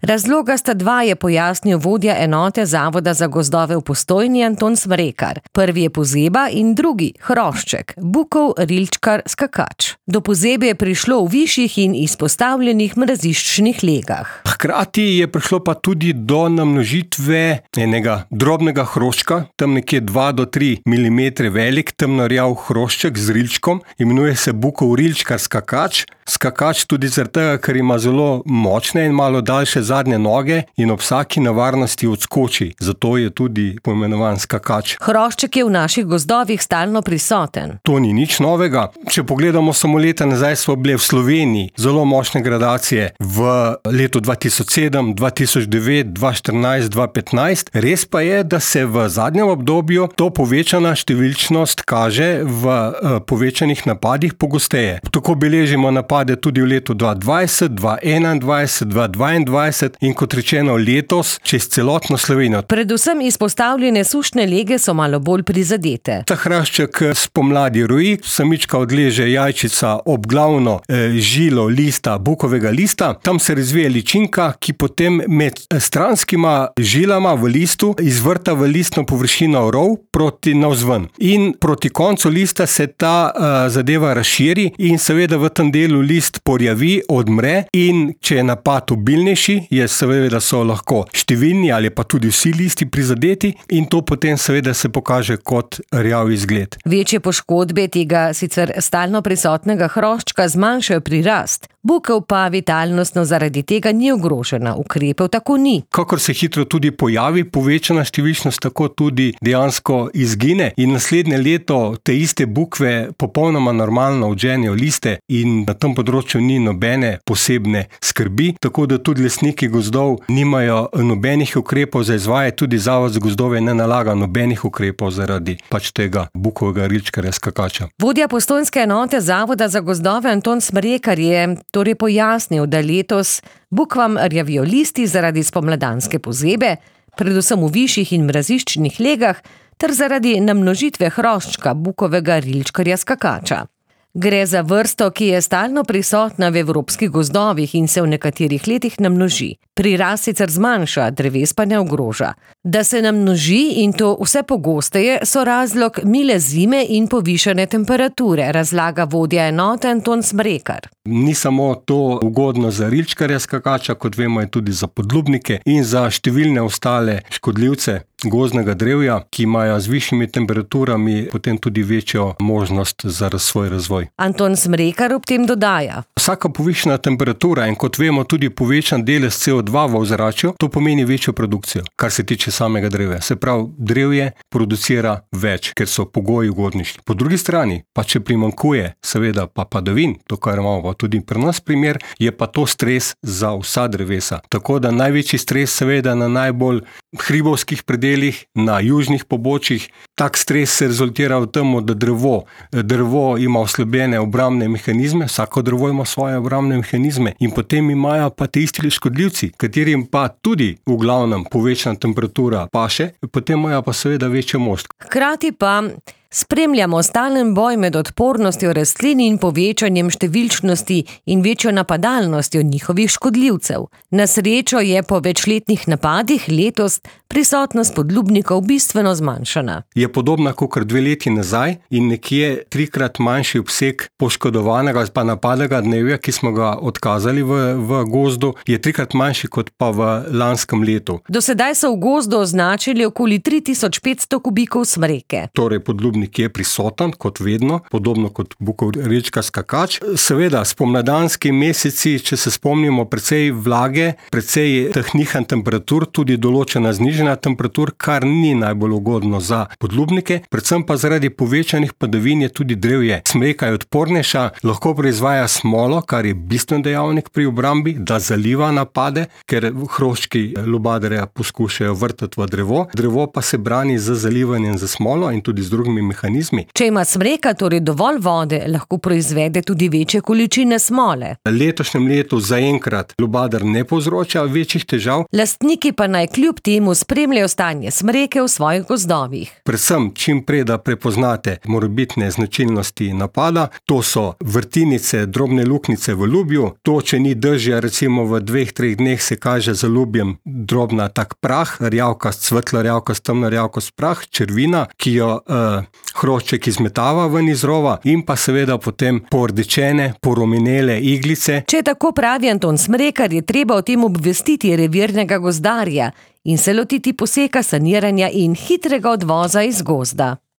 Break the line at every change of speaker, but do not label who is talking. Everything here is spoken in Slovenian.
Razloga sta dva, je pojasnil vodja enote Zavoda za gozdove v Postojni Anton Smrekar. Prvi je pozeba in drugi hrošček, bukov rilčkar skakač. Do pozebe je prišlo v višjih in izpostavljenih mraziščnih legah.
Hkrati je prišlo pa tudi do namnožitve enega drobnega hroščka, tam nekje 2 do 3 mm velik, temnorjav hrošček z rilčkom, imenuje se bukov rilčkar skakač. Skakač tudi zaradi tega, ker ima zelo močne in malo daljše zadnje noge in ob vsaki nevarnosti odskoči. Zato je tudi poimenovan skakač.
Hrošček je v naših gozdovih stalno prisoten.
To ni nič novega. Če pogledamo samo leta nazaj, so bile v Sloveniji zelo močne gradacije v letu 2007, 2009, 2014, 2015. Res pa je, da se v zadnjem obdobju to povečana številčnost kaže v povečanih napadih pogosteje. Tako beležimo napade tudi v letu 2020, 2021, 2022 in kot rečeno letos čez celotno Slovenijo.
Predvsem izpostavljene sušne lege so malo bolj prizadete.
Ta hrašček spomladi roji, samička odleže jajčica ob glavno žilo lista, bukovega lista, tam se razvije ličinka, ki potem med stranskima žilama v listu izvrta v listno površino rov proti navzven. In proti koncu lista se ta zadeva razširi in seveda v tem delu list porjavi, odmre in če je napad obilnejši, je seveda so lahko številni ali pa tudi vsi listi prizadeti in to potem seveda se pokaže kot rjav izgled.
Večje poškodbe tega sicer stalno prisotnega hroščka zmanjšajo prirast. Bukev pa vitalnostno zaradi tega ni ogrožena, ukrepov tako ni.
Kakor se hitro tudi pojavi povečana številčnost, tako tudi dejansko izgine in naslednje leto te iste bukve popolnoma normalno odženejo liste in na tem področju ni nobene posebne skrbi, tako da tudi lastniki gozdov nimajo nobenih ukrepov za izvajati, tudi Zavod za gozdove ne nalaga nobenih ukrepov zaradi tega bukovega rilčkarja skakača.
Vodja postojnske enote Zavoda za gozdove Anton Smrekar je torej pojasnil, da letos bukvam rjavijo listi zaradi spomladanske pozebe, predvsem v višjih in mraziščnih legah, ter zaradi namnožitve hroščka bukovega rilčkarja skakača. Gre za vrsto, ki je stalno prisotna v evropskih gozdovih in se v nekaterih letih namnoži. Prirast sicer zmanjša, dreves pa ne ogroža. Da se namnoži in to vse pogosteje, so razlog mile zime in povišane temperature, razlaga vodja enote Anton Smrekar.
Ni samo to ugodno za rilčkarja skakača, kot vemo je tudi za podlubnike in za številne ostale škodljivce gozdnega drevja, ki imajo z višjimi temperaturami potem tudi večjo možnost za svoj razvoj.
Anton Smrekar ob tem dodaja.
Vsaka povišana temperatura in kot vemo tudi povečan delež CO2 v ozračju, to pomeni večjo produkcijo, kar se tiče samega drevja. Se pravi, drevje producira več, ker so pogoji ugodnejši. Po drugi strani, pa če primanjkuje seveda pa padavin, to kar imamo pa tudi pri nas primer, je pa to stres za vsa drevesa. Tako da največji stres seveda na najbolj hribovskih predelih, na južnih pobočjih. Tak stres se rezultira v tem, da drevo ima oslabljene obrambne mehanizme, vsako drevo ima svoje obrambne mehanizme in potem imajo pa te isti škodljivci, katerim pa tudi v glavnem povečana temperatura paše, potem imajo pa seveda večjo moč.
Hkrati pa spremljamo stalen boj med odpornostjo rastlin in povečanjem številčnosti in večjo napadalnostjo njihovih škodljivcev. Na srečo je po večletnih napadih letos prisotnost podlubnikov bistveno zmanjšana.
Je podobna kakor 2 leti nazaj in nekje 3-krat manjši obseg poškodovanega pa napadega dnevja, ki smo ga odkazali v gozdu, je 3-krat manjši kot pa v lanskem letu.
Do sedaj so v gozdu označili okoli 3500 kubikov smreke.
Torej podlubnik je prisoten, kot vedno, podobno kot bukov rilčkar skakač. Seveda, spomladanski meseci, če se spomnimo, precej vlage, precej teh nihanj temperatur, tudi določena znižana temperatur, kar ni najbolj ugodno za podlubnike, predvsem pa zaradi povečanih padavin je tudi drevje. Smreka je odpornejša, lahko proizvaja smolo, kar je bistven dejavnik pri obrambi, da zaliva napade, ker hroščki lubadarja poskušajo vrtati v drevo. Drevo pa se brani z zalivanjem za smolo in tudi z drugimi mehanizmi.
Če ima smreka torej dovolj vode, lahko proizvede tudi večje količine smole.
V letošnjem letu zaenkrat lubadar ne povzroča večjih težav.
Lastniki pa naj kljub temu spremljajo stanje smreke v svojih gozdovih.
Predvsem čim prej, da prepoznate morebitne značilnosti napada, to so vrtinice, drobne luknjice v lubju, to, če ni dežja, recimo v 2-3 dneh se kaže za lubjem drobna tak prah, rjavkast, svetlo rjavkast, temno rjavkast prah, črvina, ki jo hrošček izmetava ven iz rova, in pa seveda potem pordečene, porumenele iglice.
Če tako pravi Anton Smrekar, je treba o tem obvestiti revirnega gozdarja in se lotiti poseka, saniranja in hitrega odvoza iz gozda.